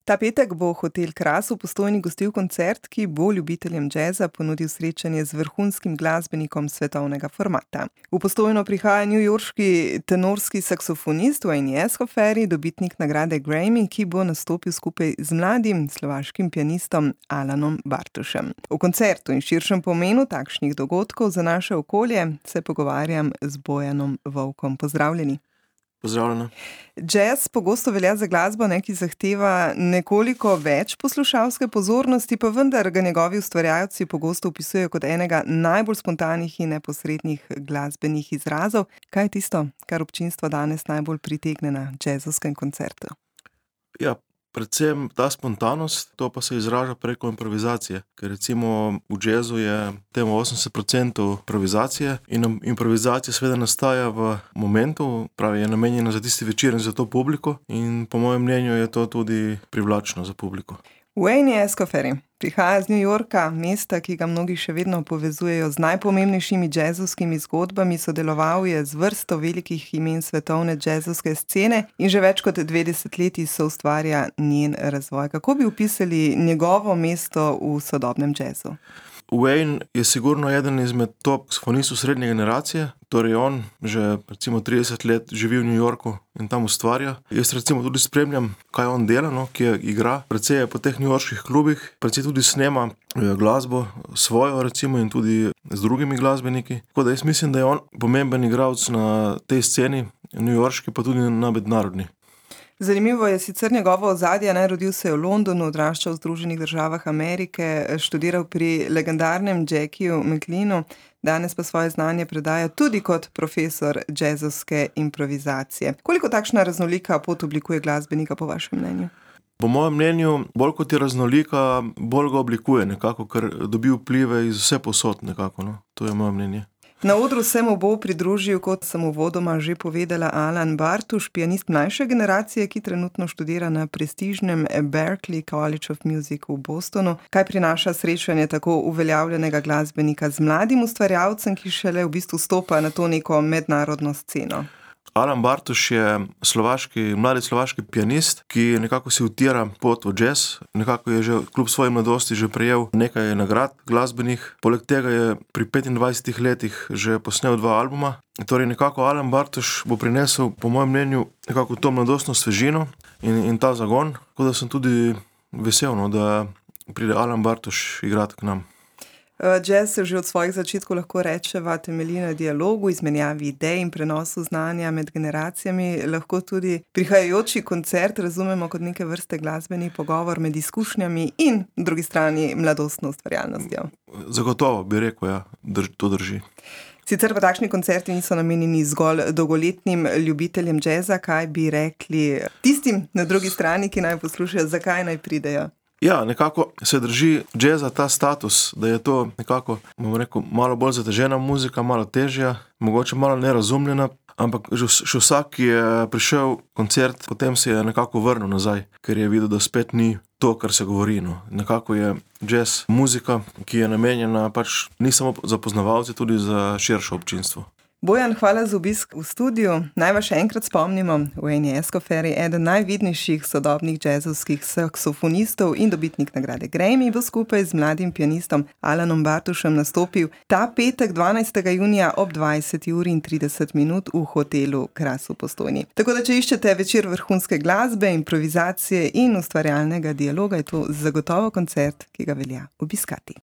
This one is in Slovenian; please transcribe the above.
Ta petek bo Hotel Kras v Postojni gostil koncert, ki bo ljubiteljem džeza ponudil srečanje z vrhunskim glasbenikom svetovnega formata. V Postojno prihaja newyorški tenorski saksofonist Wayne Escoffery, dobitnik nagrade Grammy, ki bo nastopil skupaj z mladim slovaškim pianistom Alanom Bartošem. O koncertu in širšem pomenu takšnih dogodkov za naše okolje se pogovarjam z Bojanom Vovkom. Pozdravljeni. Pozdravljena. Jazz pogosto velja za glasbo, ki zahteva nekoliko več poslušalske pozornosti, pa vendar ga njegovi ustvarjalci pogosto opisujejo kot enega najbolj spontanih in neposrednih glasbenih izrazov. Kaj je tisto, kar občinstvo danes najbolj pritegne na jazzovskem koncertu? Ja, predvsem ta spontanost, to pa se izraža preko improvizacije, ker recimo v jazzu je temu 80% improvizacije in improvizacija seveda nastaja v momentu, pravi, je namenjena za tisti večer in za to publiko in po mojem mnenju je to tudi privlačno za publiko. Wayne Escoffery prihaja z New Yorka, mesta, ki ga mnogi še vedno povezujejo z najpomembnejšimi jazzovskimi zgodbami, sodeloval je z vrsto velikih imen svetovne jazzovske scene in že več kot 2 desetletji soustvarja njen razvoj. Kako bi opisali njegovo mesto v sodobnem jazzu? Wayne je sigurno eden izmed top saksofonistov srednje generacije, torej on že recimo 30 let živi v New Yorku in tam ustvarja. Jaz recimo tudi spremljam, kaj on dela, kje igra. Precej je po teh newyorških klubih, precej tudi snema glasbo svojo recimo in tudi z drugimi glasbeniki. Tako da jaz mislim, da je on pomemben igralec na tej sceni, newyorški pa tudi na mednarodni. Zanimivo je sicer njegovo ozadje, rodil se je v Londonu, odraščal v Združenih državah Amerike, študiral pri legendarnem Jackiju McLeanu, danes pa svoje znanje predaja tudi kot profesor jazzovske improvizacije. Koliko takšna raznolika pot oblikuje glasbenika po vašem mnenju? Po mojem mnenju, bolj kot je raznolika, bolj ga oblikuje nekako, ker dobi vplive iz vse posod nekako, To je moje mnenje. Na odru se mu bo pridružil, kot sem uvodoma že povedala, Alan Bartoš, pianist mlajše generacije, ki trenutno študira na prestižnem Berklee College of Music v Bostonu. Kaj prinaša srečanje tako uveljavljenega glasbenika z mladim ustvarjalcem, ki šele v bistvu stopa na to neko mednarodno sceno? Alan Bartoš je mladi slovaški pianist, ki nekako si utira pot v jazz. Nekako je že kljub svoji mladosti že prejel nekaj nagrad glasbenih. Poleg tega je pri 25 letih že posnel 2 albuma. Torej nekako Alan Bartoš bo prinesel, po mojem mnenju, nekako to mladostno svežino in ta zagon. Tako da sem tudi vesel, da pride Alan Bartoš igrati k nam. Jazz se že od svojih začetkov lahko rečeva temelji na dialogu, izmenjavi idej in prenosu znanja med generacijami. Lahko tudi prihajajoči koncert razumemo kot neke vrste glasbeni pogovor med izkušnjami in na drugi strani mladostno ustvarjalnostjo. Zagotovo bi rekel, ja, to drži. Sicer pa takšni koncerti niso namenjeni zgolj dolgoletnim ljubiteljem jazza. Kaj bi rekli tistim na drugi strani, ki naj poslušajo, zakaj naj pridejo? Ja, nekako se drži jazza ta status, da je to nekako, malo bolj zatežena muzika, malo težja, mogoče malo nerazumljena, ampak že vsak, ki je prišel koncert, potem se je nekako vrnil nazaj, ker je videl, da spet ni to, kar se govori. Nekako je jazz muzika, ki je namenjena ni samo za poznavalce, tudi za širše občinstvo. Bojan, hvala za obisk v studiu. Naj vas še enkrat spomnimo, Wayne Escoffery, eden najvidnejših sodobnih jazzovskih saksofonistov in dobitnik nagrade Grammy, bo skupaj z mladim pianistom Alanom Bartošem nastopil ta petek 12. junija ob 20:30 v Hotelu Kras v Postojni. Tako da, če iščete večer vrhunske glasbe, improvizacije in ustvarjalnega dialoga, je to zagotovo koncert, ki ga velja obiskati.